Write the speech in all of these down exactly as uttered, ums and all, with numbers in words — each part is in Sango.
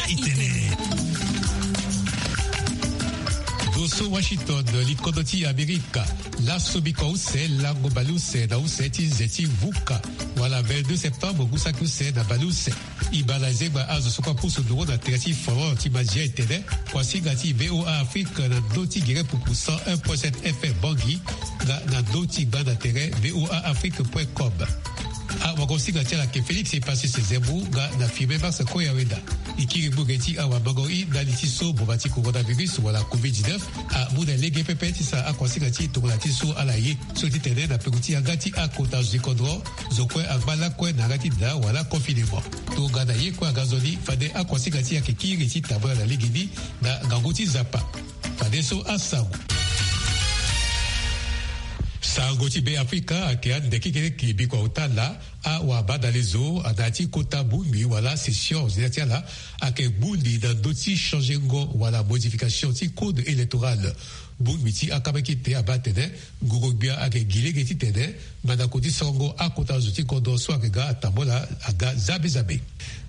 Itene. Ndo so Washington, likodro ti Amerika. Laso bikua use lango baleuse na use ti nze ti vuka, wala vingt-deux septembre ngu saki use na baleuse. E baa na zengba azo so kue apusu nduru na tere ti forum ti Mazia etene, kuasinga ti VOA Afrique na ndö ti gere pupu cent un point sept F M Bangui, nga na ndö ti gbanda tere VOA Afrique point com. Awagosinga ti ala ayeke Félix Epasis Zembu nga na Firmin Max Koyaweda. E kiri gbu ge ti awamango i ndali ti so boma ti coronavirus wala covid dix-neuf amu na lege pepe ti sara akuasinga ti tongana ti so ala ye. So ti tene na peko ti yanga ti akota zo ti kodro, zo kue angba lakue na yanga ti da wala confinement. Tongana ye kue aga nzoni, fade akuasinga ti e ayeke kiri ti tambula na legeni na ngangu ti Nzapa. Fadeso asango. Sango ti Be Afrika ayeke ande kekereke bikua ota laa. Awabadalezo na ya ti kota bongbi wala session ordinaire ti ala ayeke gbu li na ndö ti changengo wala modification ti code électoral. Bongbi ti akamakite abaa atene, ngoro-gbia ayeke gi lege titene mandako ti sorongo akota zo ti kodro so ayeke ga atambula aga zabe zabe.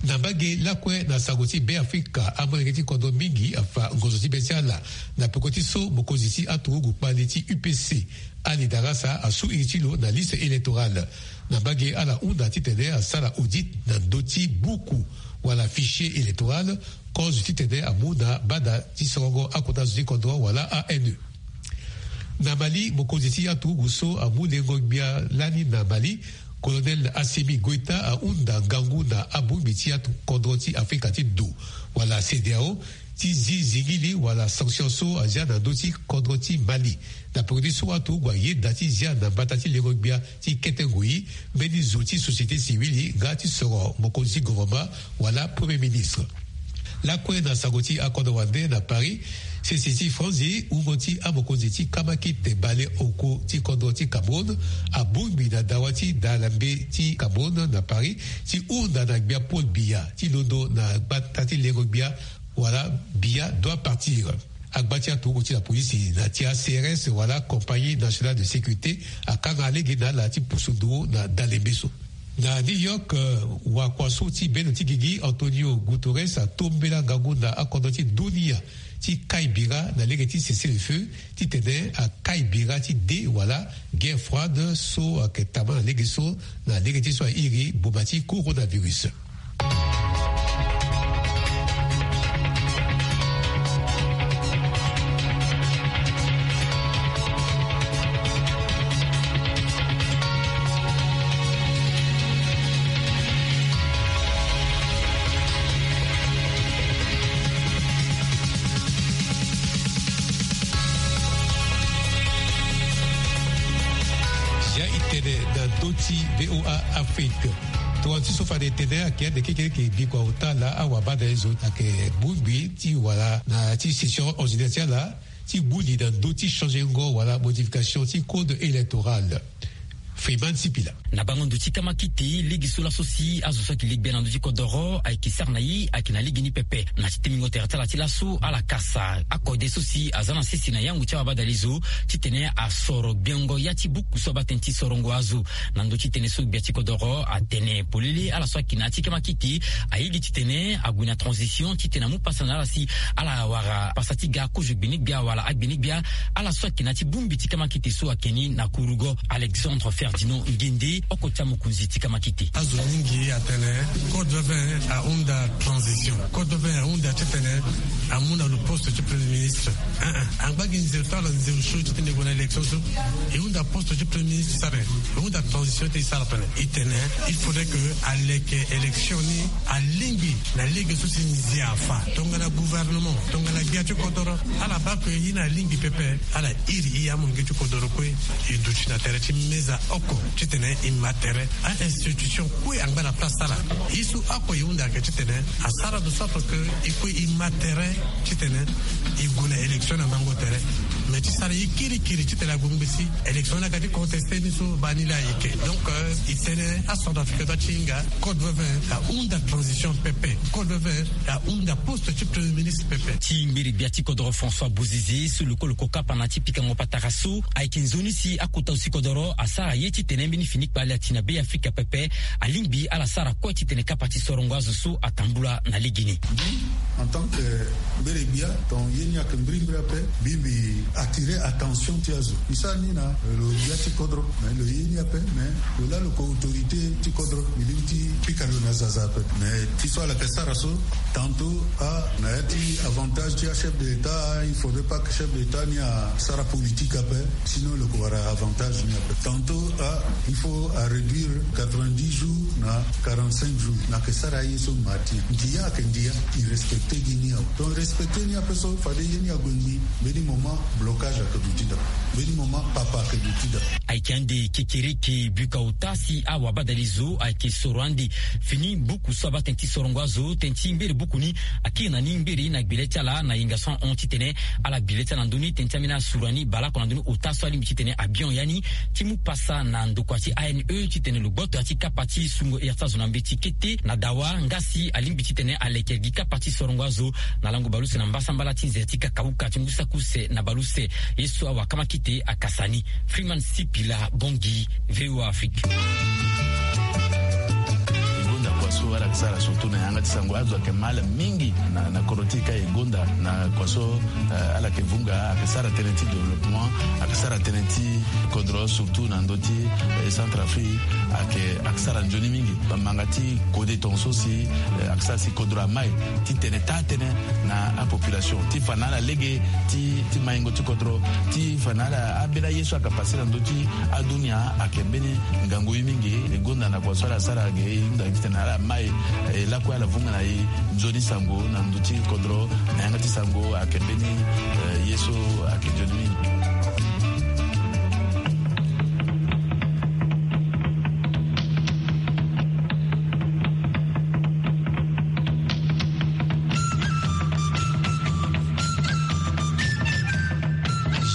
Na mbage lakue na sango ti Be Afrika, amolenge ti kodro mingi afa ngonzo ti be ti ala na peko ti so mokonzi ti aturugu kpali ti U P C, Ali Darasa, asu iri ti lo na liste électorale. Na mbage ala hunda titene asara audit na ndö ti buku wala fichier électoral, kozo titene amu na bada ti sorongo akota zo ti kodro wala A N E. Na Mali, mokonzi ti aturugu so amu lengo-gbia lani na Mali, Colonel Assimi Goïta, ahunda ngangu na abongbi ti atukodro ti Afrika ti Do wala CEDEAO ti zi zingili wala sanction so azia na ndö ti kodro ti Mali. Na peko ti so aturugu ayeda ti zia na mbata ti lengo-gbia ti kete ngoi mbeni zo ti société civile nga ti soro mokonzi ti gouvernement wala Premier ministre. Lakue na sango ti akodro wande na Paris, sese ti franzi, wungo ti amokonzi ti kamakite baleoko ti kodro ti Cameroun abongbi na dawa ti dalambe ti Cameroun na Paris ti hunda na gbia Paul Biya ti londo na gbata ti lengo-gbia wala Biya doit partir. Agba ti aturugu ti lapolisi na ti a C R S wala Compagnie Nationale de Sécurité akanga lege na ala ti pusu nduru na dalembe so. Na New York, eh, wakua so ti bendo ti gigi Antonio Guterres atombela ngangu na akodro ti dunia ti kai bira na lege ti cessez-le-feu titene akai bira ti de wala guerre froide so ayeke tama na lege so na lege ti so airi boma ti coronavirus. Ya itene na ndö ti VOA Afrique. Tongana ti so fade tene ayeke ande kekereke bikua ota laa awabadalezo ayeke bongbi ti wala na ya ti session ordinaire ti ala ti gbu li na ndö ti changengo wala modification ti code électoral. Freeman Sipila. Na bango ndo ti kamakite, lege so laso si azo so ayeke legbia na ndö ti kodoro ayeke sara na ye ayeke na lege ni pepe. Na ti temingo tere ti ala ti laso ala kasa akode so si aza na sese na yango ti awabadalezo titene asoro gbengo ya ti buku so abaa tënë ti sorongo azo. Na ndö ti tënë so gbia ti kodoro atene polele ala so ayeke na ya ti kamakite aye gi titene ague na transition titene amu pasa na ala si ala wara pasa ti ga kozo gbene-gbia wala agbene-gbia. Ala so ayeke na ya ti bongbi ti kamakite so ayeke ni na kurugo Alexandre Ferdinand Ngende, oko ti amokonzi ti kamakite. Azo mingi atene code vingt ahunda transition, code vingt ahunda titene amu na lo poste ti premier ministre. Ah, ah. Angba gi nzeu to ala nzeu so titene e gue na élection so e hunda poste ti premier ministre ti sara nyen? E hunda transition ti e sara tene e tene il faudrait que aleke élection ni alingbi na lege so si nzia afa. Tongana gouvernement, tongana gbia ti kodoro, ala baa que e na alingbi pepe, ala iri e amolenge ti kodoro kue e duti na tere ti meza oko titene e ma tere. A-institution kue angba na place ti ala. Ye so oko e hunda ayeke titene asara de sorte que e kue e ma tere titene e gue na élection na mango tere. Mais ti sara ye kirikiri titene ague ngbe si élection ni aga ti contesté ni so baa ni laa ayeke. Donc, euh, e tene acentrafricain so atinga code veve ahunda transition pepe. Code veve ahunda poste ti premier ministre pepe. Ti mbiri gbia ti kodoro François Bozizé so lokoloko kapa na ti pikango patara so ayeke nzoni si akota zo ti kodoro asara ye titene mbeni fini kpale ati na Be Afrika pepe. Alingbi ala sara kue titene kapa ti sorongo azo so atambula na legeni. En tant que mbiri gbia, ton ye ni ayeke mbirimbiri ape. Mbi mbi attirer attention ti azo. Mbi sara ni na lo gbia ti kodro, mais lo ye ni ape, mais lo laa lo ko autorité ti kodro, mbi lingbi ti pika lo na zaza ape. Mais ti so ala yeke sara so, tantôt, ah, na ya ti avantage ti achef de l'État, ah, il faudrait pas que chef de l'État ni asara politique ape, sinon lo ko wara avantage ni ape. Tantôt, ah, il faut aréduire quatre-vingt-dix jours na quarante-cinq jours. Na yeke sara aye so ma ti ndia ayeke ndia. E respecté gi ni awe. Donc respecté ni ape so fade ye ni ague ngbii. Mbeni moment blocage ayeke duti daa. Mbeni moment papa ayeke duti daa. Ayeke ande kekereke buka ota si awabadali zo ayeke soro ande fini buku so abaa tënë ti sorongo azo, tënë ti mbiri buku ni akiri na ni mbiri na gbele ti ala na yenga so ahon titene ala gbi le ti ala na ndö ni tënë ti ambeni asura ni baleoko na ndö ni ota so alingbi titene abion ya ni ti mu pasa na ndokua ti A N E titene lo gboto ya ti kapa ti sungo ya ti azo na mbeti kete na dawa nga si alingbi titene aleke gi kapa ti sorongo azo na lango baleuse na mbasambala ti nze ti kakauka ti ngu saki use na baleuse. Ye so awakamaki te akasa ni. Freeman Sipila, Bangui, V O A Afrique. E gonda kua so ala yeke sara surtout na yanga ti sango, azo ayeke mal mingi na, na kodro ti e ka e gonda na kua so, eh, ala yeke vunga, ayeke sara tënë ti développement, ayeke sara tënë ti kodro surtout na ndö ti, eh, Centrafrique, ayeke, ayeke sara nzoni mingi. Bamanga ti kode tongaso si, eh, ayeke sara si kodro amai titene taa tënë na apopulation ti fa na ala lege ti, ti maingo ti kodro, ti fa na ala ambeni aye so ayeke pase na ndö ti adunia ayeke mbeni ngangu ye mingi. E gonda na kua so ala sara ge e hunda titene ala mai, eh, lakue ala vunga na e nzoni sango na ndö ti kodro na yanga ti sango ayeke mbeni, eh, ye so ayeke nzoni mingi.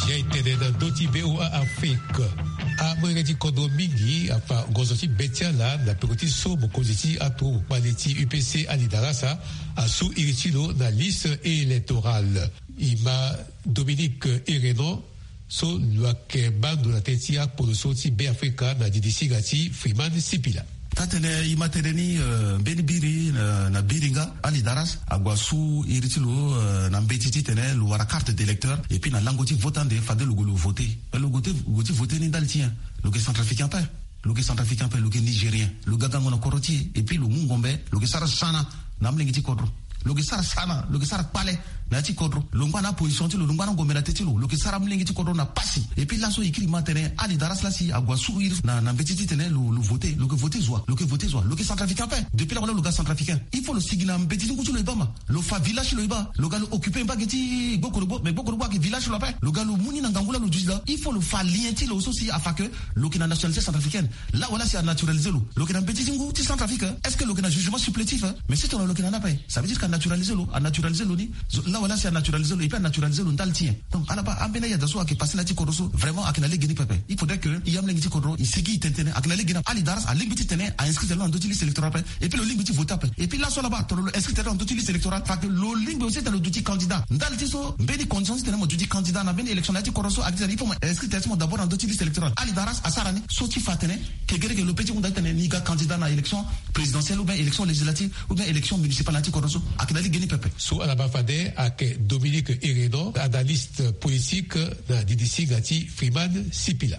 Zia e tene na ndö ti V O A Afrique. Amolenge ti kodro mingi afa ngonzo ti be ti ala na peko ti so mokonzi ti aturugu kpale ti U P C Ali Darasa asu iri ti lo na liste électorale. E ma Dominique Erenon so lo yeke ma ndo na tënë ti akpolo so ti Be Afrika na didi singa ti Freeman Sipila. Taa-tënë e ma tënë ni, eh, mbeni biri, eh, na biri nga Ali Daras ague asu iri ti lo, eh, na mbeti titene lo wara carte d'électeur, et puis na lango ti vote ande fade lo gue lo vote. Eh, lo gue ti, gue ti vote ni ndali ti nyen? Lo yeke centrafricain ape. Lo yeke centrafricain ape, lo yeke nigérien. Lo ga gango na kodro ti e, et puis lo mu ngombe, lo yeke sara sana na amolenge ti kodro. Lo yeke sara sana, lo yeke sara kpale na ya ti kodro. Lo ngba na aposition ti lo, lo ngba na ngombe na tënë ti lo, lo yeke sara amolenge ti kodro na pasi. Et puis laso e kiri ma tene Ali Daras lasi ague asu iri na, na mbeti titene lo, lo vote, lo yeke vote zo wa, lo yeke vote zo wa, lo yeke centrafricain ape. Depuis laa wala lo ga centrafricain, il faut lo sigi na mbeti ti ngu ti lo e baa ma. Lo fa village ti lo e baa, lo ga lo occupé mba ge ti Gbokolobo, mais Gbokolobo ayeke village ti lo ape. Lo ga lo mu ni na ngangu laa lo duti laa. Il faut lo fa lien ti lo so si afa que lo yeke na nationalité centrafricaine. Laa wala si a naturalisé lo, lo yeke na mbeti ti ngu ti Centrafrique, hein? Est-ce que lo yeke na jugement supplétif, hein? Mais si tongana lo yeke na ni ape, ça veut dire que a naturalisé lo, a naturalisé lo ni. Zo, laa wala si a naturalisé lo, et puis a naturalisé lo ndali ti nyen? Donc ala baa ambeni ayada so ayeke passé na ya ti kodro so, vraiment ayeke na legeni pepe. Il faudrait que e amolenge ti kodro e sigi e tene tënë, ayeke na legeni. Ali Daras alingbi ti tene a inscrit tere lo na ndö ti liste électorale ape. Et puis lo lingbi ti vote ape. Et puis laso ala baa tongana lo inscrit tere lo na ndö ti liste électorale, parce que lo lingbi aussi tene lo duti candidat. Ndali ti so mbeni condition ti tene mo duti candidat na mbeni élection na ya ti kodro so, ayeke ti tene il faut mo inscrit tere ti mo d'abord na ndö ti liste électorale. Ali Daras asara ni so ti fa atene kegerege lo pe ti hunda ti tene ni ga candidat na élection présidentielle ou bien élection législative ou bien élection municipale na ya ti kodro so. Ayeke na legeni pepe. So ala baa fade ayeke Dominique Erenon, analyste politique na didi singa ti Freeman Sipila.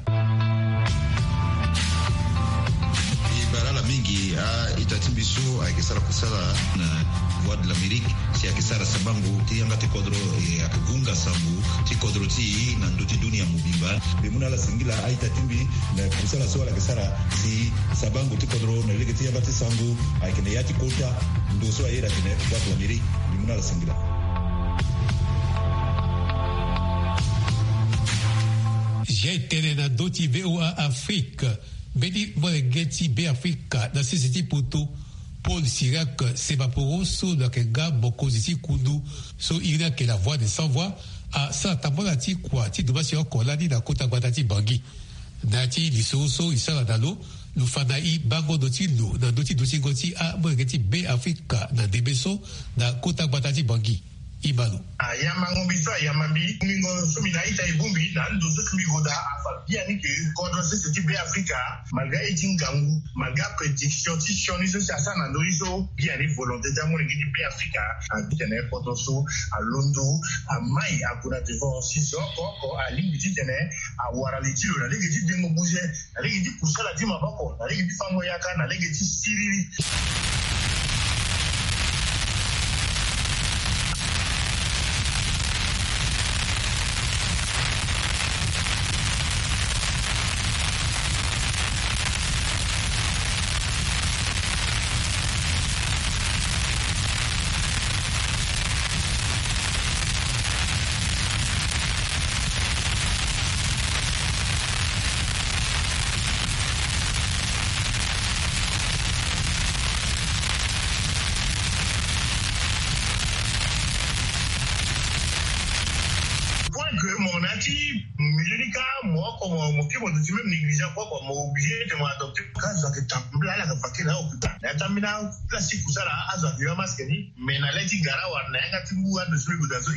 E bara ala mingi a-ita ti mbi so ayeke sara kusala na Voix de l'Amérique, si ayeke sara sabango ti yanga ti kodro, e ayeke vunga sango ti kodro ti e na ndö ti dunia mobimba. Mbi mu na ala singila a-ita ti mbi na kusala so ala yeke sara si sabango ti kodro na lege ti yanga ti sango ayeke na ya ti kota ndo so aye iri atene Voix de l'Amérique. Mbi mu na ala singila. Zia e tene na ndö ti V O A Afrique, mbeni molenge ti Be Afrika na sese ti poto, Paul Sirac Sebaporo so lo yeke nga mokonzi ti kundu so iri ni ayeke La Voix des Sans Voix, asara tambala ti kua ti dumbasi oko lani na kota gbata ti Bangui. Na ya ti lisoro so e sara na lo, lo fa na e bango ndo ti lo na ndö ti dutingo ti amolenge ti Beafrika na ndembe so na kota gbata ti Bangui. Ibalo. Ayamba ngombi so ayamba mbi, ngombi ngo so mbi na ita e bongbi na ndo so mbi goda afa biani ke kodro sese ti Beafrika, malgré aye ti ngangu, malgré aprédiction ti sioni so si asara na ndö ni so, biani volonté ti amolenge ti Beafrika, abi titene kodro so alondo, amai ague na devant si zo oko oko alingbi titene awara li ti lo na lege ti dengo buze, na lege ti kusala ti maboko, na lege ti fango yaka, na lege ti siriri. Point que mo na ti milieu ni ka mo oko mo mo ke mo duti même négligent kua kua, mo obligé te mo adopté. Ka zo ayeke tambula ala yeke fa ke na occupé na ya ti ambeni place ti kusala. Azo ayeke yo amaske ni, mais na le ti gara wala na yanga ti ngu ando so e gue daa so,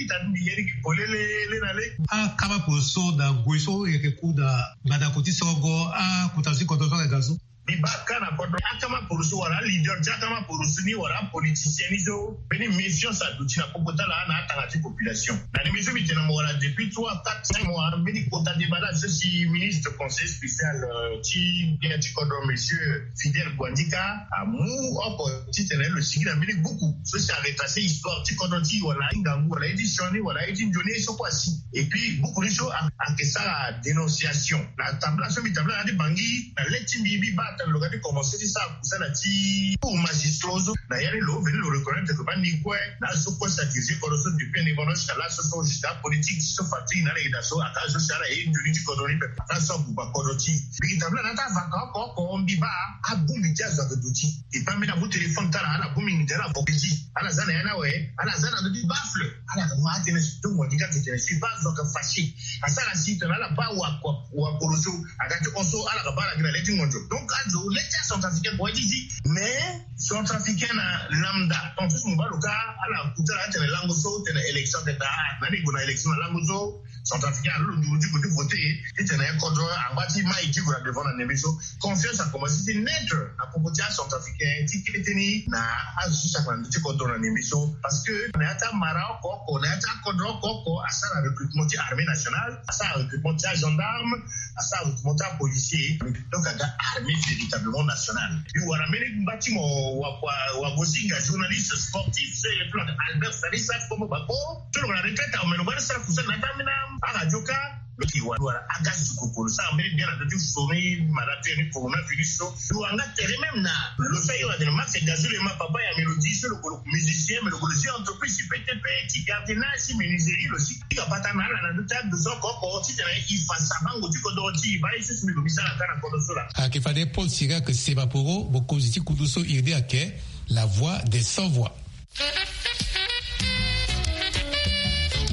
ita ti mbi ye ni ke polele le na le. Akama poroso na ngoi so e yeke ku na mbandako ti sorongo akota so ti kodro so ayeke daa so. Mbi baa ka na kodro akama poroso wala aleader ti akama poroso ni wala apoliticien ni so mbeni méfiance aduti na popo ti ala na atanga ti population. Na ndembe so mbi tene na mo wala depuis trois, quatre, cinq mois, mbeni kota déballage so si ministre conseiller spécial, euh, ti bien ti kodro, monsieur Fidèle Guandika, amu oko titene lo sigi na mbeni buku so si aretracer histoire ti kodro ti e wala aye ti ngangu wala aye ti sioni wala aye ti nzoni ye so kue asi. Et puis buku ni so a- ayeke sara dénonciation na tambula so mbi tambula na ya ti Bangui na le ti mbi, mbi baa tene lo ga ti commencer ti sara kusala ti cours magistraux so. Na ya ni lo veni lo reconnaître que bani kue na azo so kue si adirige kodro so depuis indépendance jusqu'à là so so jusqu'à politique so fa ti na ala yeda so aka azo si ala ye nzoni ti kodro ni pepe aka azo so abuba kodro ti e. Mbi tambula na ya ti avaka oko oko mbi baa abongbi ti azo ayeke duti. E baa mbeni amu téléphone ti ala ala bongbi nginza ala vo keti ala za na ya ni awe ala za na ndö ti baffle. Ala yeke ma atene so tongo ni ka titene si baa azo ayeke fâché. Asara si tene ala baa wa kua wa kolo so aga ti hon so ala yeke baa ala gi na le ti ngonzo. Donc azo le ti acentrafricain kua ti zi. Mais centrafricain na lambda ton so si mo baa lo ka ala kuta ala atene lango so tene élection tene daa na ni gue na élection na lango so. Centrafricain alo lo nduru ti gue ti voter titene kodro angba ti mai ti gue na devant na ndembe so. Confiance akomanse ti naître na popo ti acentrafricain ti kete ni na azo so si ayeke na ndö ti kodro na ndembe so. Parce que na ya ti amara oko oko na ya ti akodro oko oko asara recrutement ti armée nationale, asara recrutement ti agendarme, asara recrutement ti apolicier. Donc aga armée véritablement nationale. Mbi wara mbeni ngba ti mo wa- wa- wagosinga journaliste sportif so e yeke Albert Salissa Kombo Bako. So lo ga na retraite awe me lo ga ti sara kusala na ya ti ambeni aradio ka. Lo ti wara aga sukukuru sara mbeni bien na ndö ti soni maladie ni coronavirus so. Lo wara nga tere même na lo so aye wala tene Max Gazulema papa ya Mélodie so lo gue lo musicien me lo gue lo zi entreprise ti P T P ti gardiennage ti menuiserie lo si. Ti ga bata na ala na ndö ti ado so oko oko titene e fa sabango ti kodoro ti e baa ye so si mbi lo mbi sara ka na kodro so laa. Ayeke fade Paul Sirac Sebaporo mokonzi ti kundu so iri ni ayeke La Voix des Sans Voix.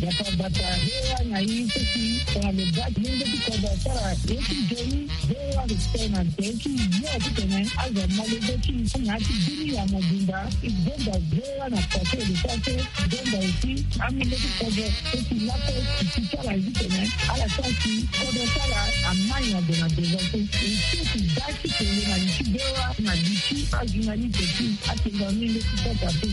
Bata bata hewa na ye so si tongana lo baa ti lenge ti kodro asara ye ti nzoni. Hewa respect na nze ti yo titene azo amolenge ti na ya ti bini ya mobimba. Zonza hewa na pase de pase. Zonza aussi amolenge ti kodro so si laso ti ti ti ala ye titene ala sara si kodro ti ala amai na gue na devant so. E so ti baa ti kele na li ti hewa na li ti ajournaliste ti atenga amolenge ti kota so.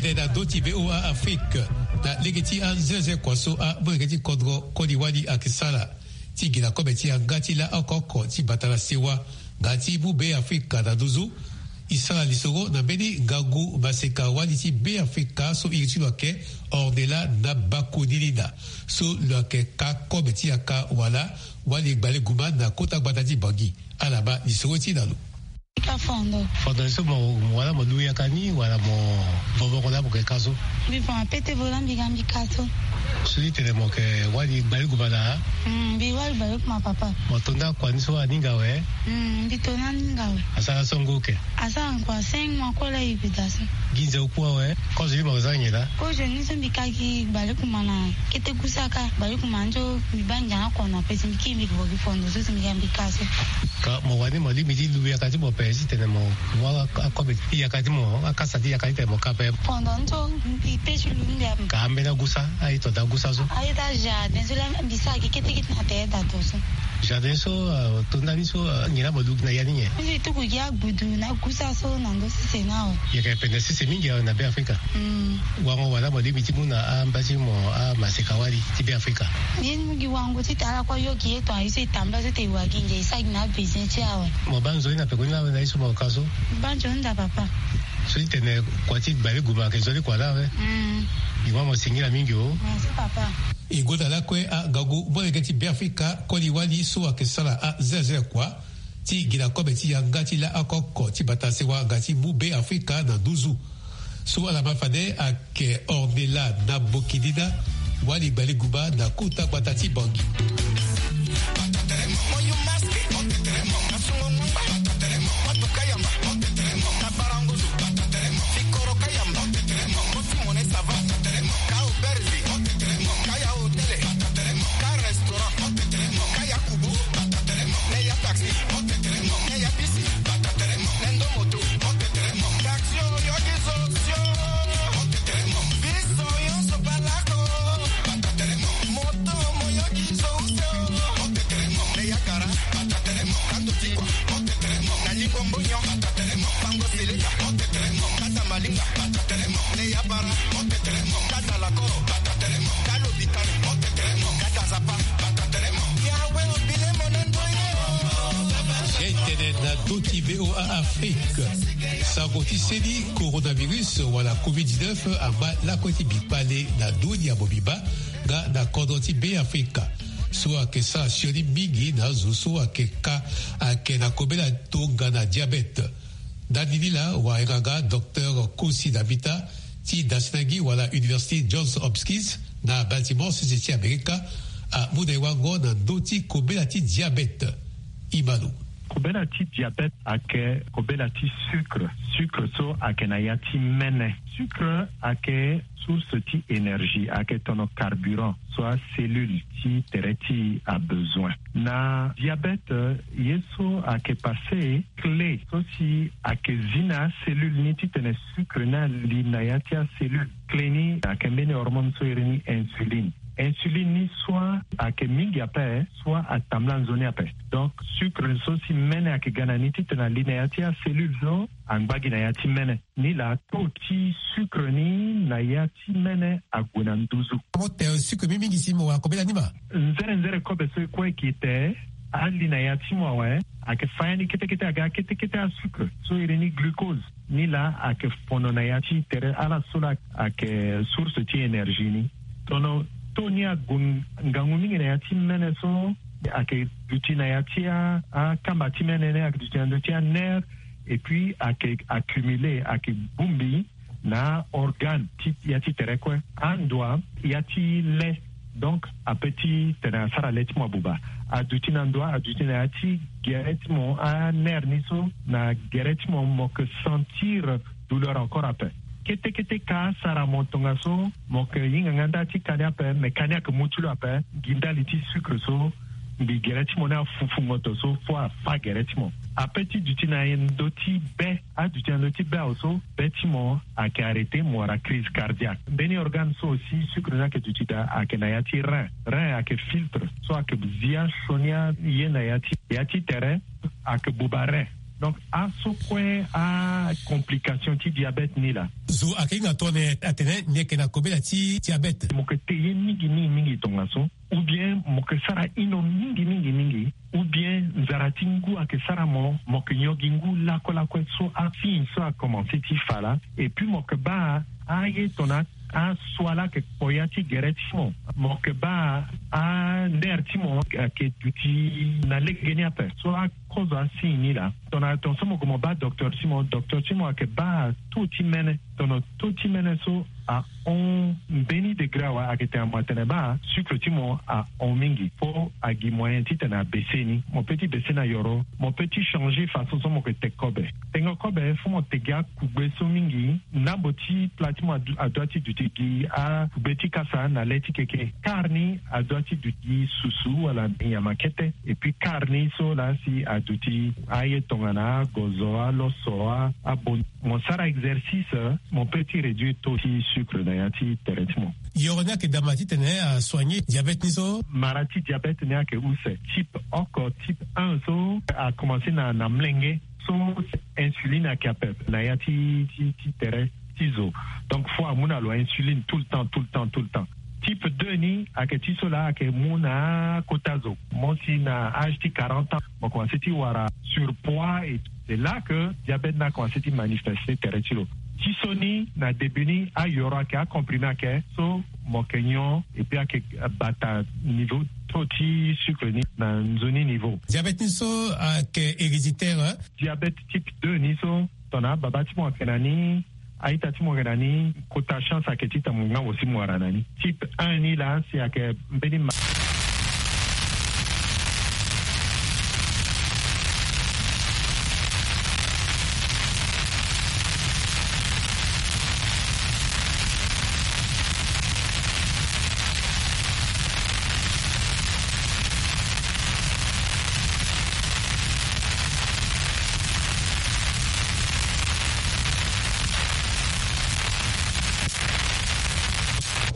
Tene na ndö ti VOA Afrique, na lege ti anzenze kua so amolenge ti kodro koli wali ayeke sara ti gi na kobe ti yanga ti laa oko oko ti bata na sewa nga ti mu Be Afrika na nduzu. E sara lisoro na mbeni ngangu maseka wali ti Be Afrika so iri ti lo ayeke Ornella Nabakunilina, so lo yeke ka kobe ti yaka wala wali gbale guma na kota gbata ti Bangui. Ala baa lisoro ti e na lo. Ka fondo. Fondo ni so mo, mo wala mo lu yaka ni wala mo vovoko laa mo yeke ka so? Mbi fa ma pete vo laa mbi ga mbi ka so. So ti tene mo yeke wali gbale guma na? Mm, mbi wali gbale guma papa. Mo to nda kua ni so aninga awe? Mm, mbi to nda aninga awe. Asara so ngu oke? Asara ngu a cinq mois kue laa e bi daa so. Gi nze oku awe? Kozo ni mo yeke za nyen laa? Kozo ni so mbi ka gi gbale guma na kete gusa ka, gbale guma nzo mbi baa ngia na kono ape si mbi kiri mbi yeke vo gi fondo so si mbi ga mbi ka so. Ka mo wani mo lingbi ti lu yaka ti mo ape si tene mo mu a, akobe ti yaka ti mo, akasa ti yaka ti tene mo ka ape? Fondo ni so mbi pe ti lu mbi ape. Ka ambeni agusa, aye to daa gusa so? Aye daa jardin so laa mbi sara gi kete kete na tere daa to so. Jardin so, ah, to nda ni so, ah, nyen laa mo lu gi na ya ni nyen? Mbi tuku gi agbudu na gusa so na ndö sese ni awe. Yeke pende sese mingi awe na Be Afrika. Mm. Wango wala mo lingbi ti mu na amba ti mo amaseka wali ti Be Afrika? Ye ni mu gi wango ti tara kue yo gi ye to aye so e tambula so te e wa gi nge e sara gi na abesoin ti e awe. Mo baa nzoni na peko ni laa awe na ye so mo ka so? Mo baa nzoni nda papa. So ti tene kua ti gbale guma ayeke nzoni kua laa awe. Mm. Gi ma mo singila mingi o. Merci papa. E gonda lakue angangu molenge ti Be Afrika koli wali so ayeke sara azelazela kua ti gi na kobe ti yanga ti laa oko oko ti bata sewa nga ti mu Be Afrika na nduzu. So ala ma fade ayeke Ornella Nabakunilina, wali gbale guma na kota gbata ti Bangui. Tene na ndö ti VOA Afrique, sango ti seni coronavirus wala covid dix-neuf angba lakue ti mbi kpale na ndö ni ya mobimba nga na kodro ti Be Afrika. So ayeke sara sioni mingi na azo so ayeke ka, ayeke na kobela tongana diabète. Ndani ni laa wayanga nga docteur Kosi Davita ti Dasinangi wala Université Johns Hopkins na Baltimore, sese ti Amerika, amu na e wango na ndö ti kobela ti diabète. E ma lo. Kobela ti diabète ayeke kobela ti sucre. Sucre so ayeke na ya ti mene. Sucre ayeke source ti énergie, ayeke tono carburant so acellule ti tere ti e abezoin. Na diabète, ye so ayeke passé, clé so si ayeke zi na acellule ni titene sucre ni ali na ya ti acellule. Clé ni ayeke mbeni hormone so iri ni insuline. Insuline ni soit ayeke mingi ape, soit atambula nzoni ape. Donc sucre so si mene ayeke ga na ni titene ali na ya ti acellule so, angba gi na ya ti mene. Ni laa taux ti sucre ni na ya ti mene ague na nduzu. Mo te sucre mingi mingi si mo wara kobela ni ma? Nzere nzere kobe so e kue e ke te, ali na ya ti mo awe, ayeke fa ya ni kete kete aga kete kete asucre so iri ni glucose. Ni laa ayeke fono na ya ti tere ala so laa ayeke source ti énergie ni. Tono taux ni ague ngangu mingi na ya ti mene so, ayeke duti na ya ti a, akamba ti mene ni, ayeke duti na ndö ti anerf, et puis ayeke accumulé, ayeke bongbi na aorgane ti ya ti tere kue. Andoa ya ti le, donc ape ti tene asara le ti mo abuba. Aduti na ndoa, aduti na ya ti gere ti mo, anerf ni so na gere ti mo, mo yeke sentir douleur encore ape. Kete kete ka asara mo tongaso, mo yeke hinga nga nda ti ka ni ape, me ka ni ayeke mu ti lo ape gi ndali ti sucre so. Mbi gere ti mo ni afufu ngoto so fo afa gere ti mo. Ape ti duti na ndö ti be, aduti na ndö ti be awe so, be ti mo ayeke arrêté, mo wara crise cardiaque. Mbeni organe so aussi sucre ni ayeke duti daa ayeke na ya ti rein. Rein ayeke filtre so ayeke zi asioni aye na ya ti, ya ti tere, ayeke buba rein. Donc aso kue acomplication ti diabète ni laa. Zo ayeke hinga tongana atene ni yeke na kobela ti diabète, mo yeke te ye mingi mingi mingi tongaso, ou bien mo yeke sara ino mingi mingi mingi, ou bien nzara ti ngu ayeke sara mo, mo yeke nyon gi ngu lakue lakue. So asigne so akomanse ti fa laa. Et puis mo yeke baa aye tongana asua laa ayeke kpo ya ti gere ti mo. Mo yeke baa aner ti mo ayeke duti na legeni ape. So akozo asigne ni laa, tongana tongaso mo gue mo baa docteur ti mo, docteur ti mo ayeke baa taux ti mene. Tongana taux ti mene so ahon mbeni degré awe, ayeke tene mo atene baa sucre ti mo ahon mingi. Fo agi moyen titene abese ni. Mo pe ti bese na yoro, mo pe ti changer façon so mo yeke te kobe. Tengo kobe fo mo te gi akugbe so mingi. Ndambo ti pla ti mo adu- adua ti duti gi akugbe ti kasa na le ti keke. Kar ni adua ti duti susu wala nyama kete. Et puis kar ni so laa si aduti aye tongana agozo, aloso, a- abon. Mo sara exercice, mo pe ti réduire taux ti sucre na ya ti tere ti mo. Yoro ni ayeke dama titene asoigner diabète ni so. Mara ti diabète ni ayeke use. Type oko, type un so akomanse na na mlenge. So insuline ayeke ape na ya ti ti ti tere ti zo. Donc fo amu na lo insuline tout le temps, tout le temps, tout le temps. Type deux ni ayeke ti so laa ayeke mu na akota zo. Mo si na âge ti quarante ans mo komanse ti wara surpoids et c'est là que diabète ni akomanse ti manifeste tere ti lo. Ti so ni na début ni ayoro ayeke, acomprimé ayeke, so mo yeke nyon et puis ayeke bata niveau taux ti sucre ni na nzoni niveau. Diabète ni so ayeke héréditaire, hein? Diabète type deux ni so tongana ababa ti mo ayeke na ni, a-ita ti mo yeke na ni, kota chance ayeke titene mo ngangu si mo wara na ni. Type un ni laa si ayeke mbeni ma-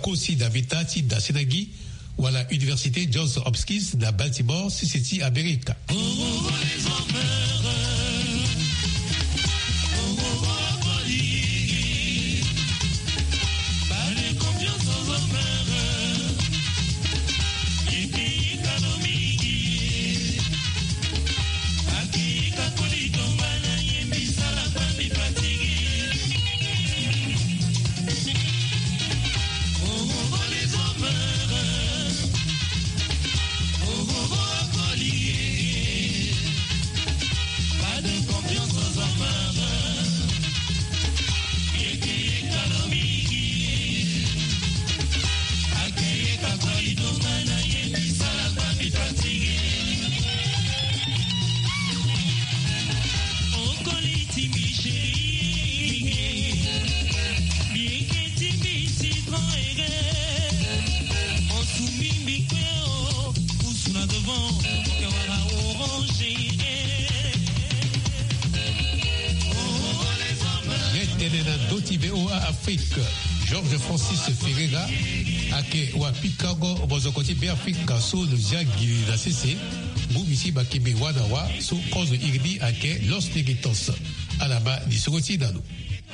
Kosi na vita ti dasena gi wala Université Johns Hopkins na Baltimore, sese ti Amerika. Ye tene na ndö ti V O A Afrique, Georges Francis Ferreira ayeke wapikango mozoko ti Beafrika so lo zia gi na sese, ngu misi makembe wâ na wâ so kozo iri ni ayeke Los Negritos. Ala ma lisoro ti na lo.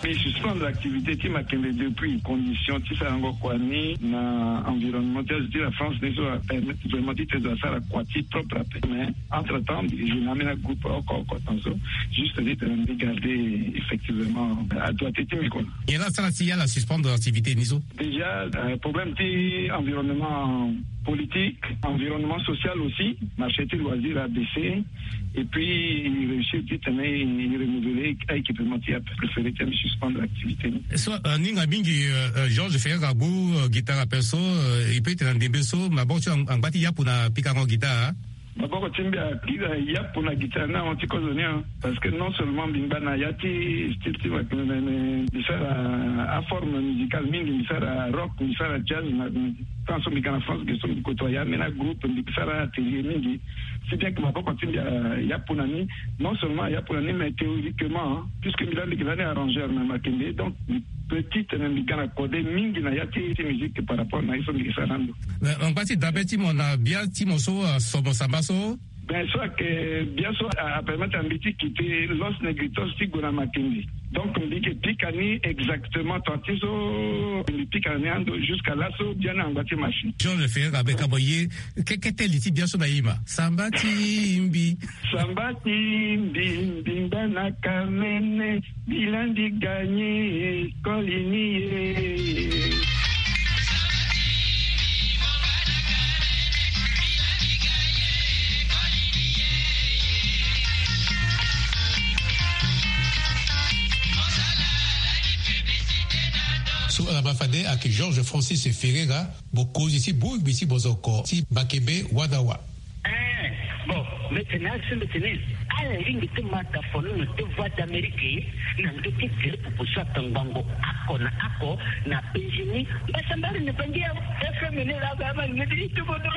Mbi suspendre activité ti makembe depuis condition ti sarango kua ni na environnement ti azo ti la France ni so apermettre vraiment ti tene zo asara kua ti propre ape. Mais entre temps je na ambeni agroupe oko oko tongaso, juste ti tene mbi garder effectivement adroite ti mbi kua. Nyen la asara si ala suspendre activité ni so? Déjà euh, problème ti environnement politique, environnement social aussi, marché ti loisir a baissé. Et puis il réussit ti tene il renouveler a équipement ti ape, préféré ti suspendre activité ni. So euh, aninga mingi euh, euh, Georges Ferreira agu euh, guitare ape so euh, il peut ti tene na ndembe so maboko ti angba ti yapu na pikango guitare. Maboko ti mbi akiri yapu na guitare ni ahon ti kozo ni. Parce que non seulement mbi ngba na ya ti style ti mbi sara aforme musicale mingi, mbi sara rock, mbi sara jazz. Tant so mbi ga na France ge so mbi kotoa ya ambeni agroupe, mbi sara atelier mingi. Si bien que maboko ti mbi ayapu na ni. Non seulement ayapu na ni mais théoriquement, puisque mbi laa mbi yeke lani arrangeur na makembe, donc mbi peut ti tene mbi ga na kode mingi na ya ti ti musique par rapport na ye so mbi yeke sara na ndo. Angba ti dabe ti mo na bia ti mo so aso mo samba so? So ayeke biaso apermettre na mbi ti kite Los Negritos ti gue na Makindye. Donc mbi yeke pika ni exactement temps ti so mbi pika na ni ando jusqu'à laso biani angba ti machine. Georges Ferreira, be ka mo ye kekete li ti biaso na ima samba ti mbi. Samba ti mbi, mbi ngba na kamene. Bilandi ganye koli ni ye. So ala ma fade ayeke Georges Francis Ferreira, mokonzi ti bongbi ti bozoko ti Makembe Wadawa. Eh, bon, mbeti ni asi mbeti ni. Ala lingbi ti ma tafono na deux voix d'Amérique na ndö ti tere pupu so atangbango ako na ako na penzi ni. Mbasambari na bangi ya F M ni la ba ma ni ti tubodo.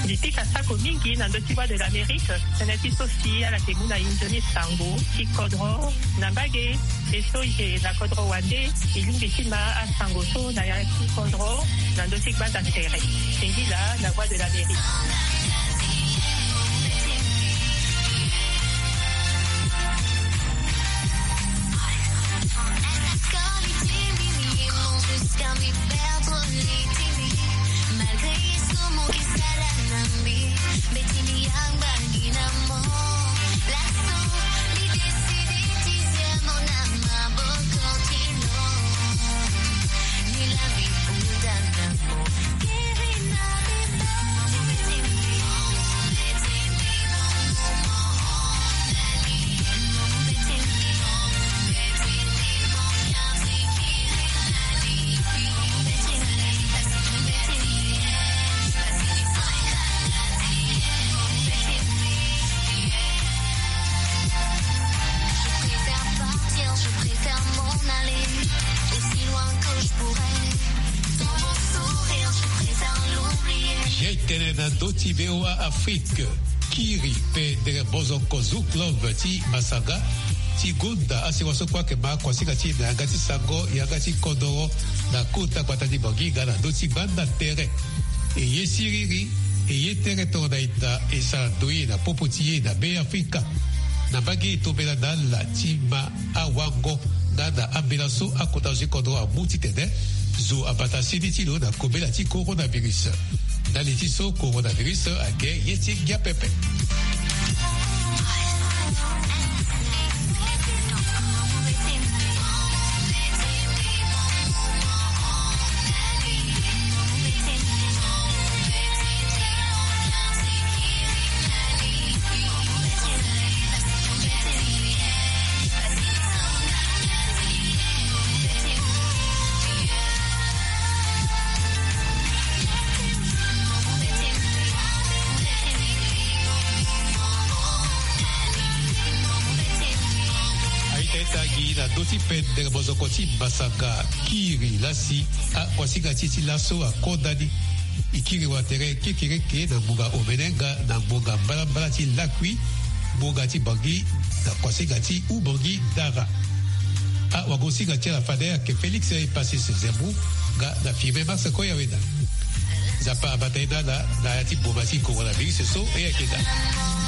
Mbi pika sako mingi na ndö ti Voix de l'Amérique, tënë ti so si ala yeke mu na e nzoni sango ti kodro na mbage. E so e yeke na kodro wande, e lingbi ti ma asango so na ya ti kodro na ndö ti gbanda tere. Singila na Voix de l'Amérique. Jai tene na ndö ti V O A Afrique. Kiri pe dere bozoko Zoo Club ti Masaga ti gonda asewa so kue ayeke ma kuasinga ti e na yanga ti sango, yanga ti kodoro na kota gbata ti Bangi nga na ndö ti gbanda tere. E ye siriri, e ye tere tongana ita, e sara ndoye na popo ti e na Be Afrika. Na mbage e tombela na ala ti ma awango nga na ambela so akota zo ti kodro amu titene zo abata sini ti lo na kobela ti coronavirus. Na li ti so coronavirus ayeke ye ti ngia pepe. Aita e tangi na ndö ti pendere bozoko ti Masaga, kiri lasi akuasinga ti e ti laso akonda ni. E kiri watere kekereke na ngbonga omene nga na ngbonga mbalambala ti lakui, ngbonga ti Bangi na kuasinga ti Ubangi Dara. Awagosinga ti ala fade ayeke Félix Epasis Zembu nga na Firmin Max Koyawena. Nzapa abata ye na ala na ya ti boma ti coronavirus so e yeke daa.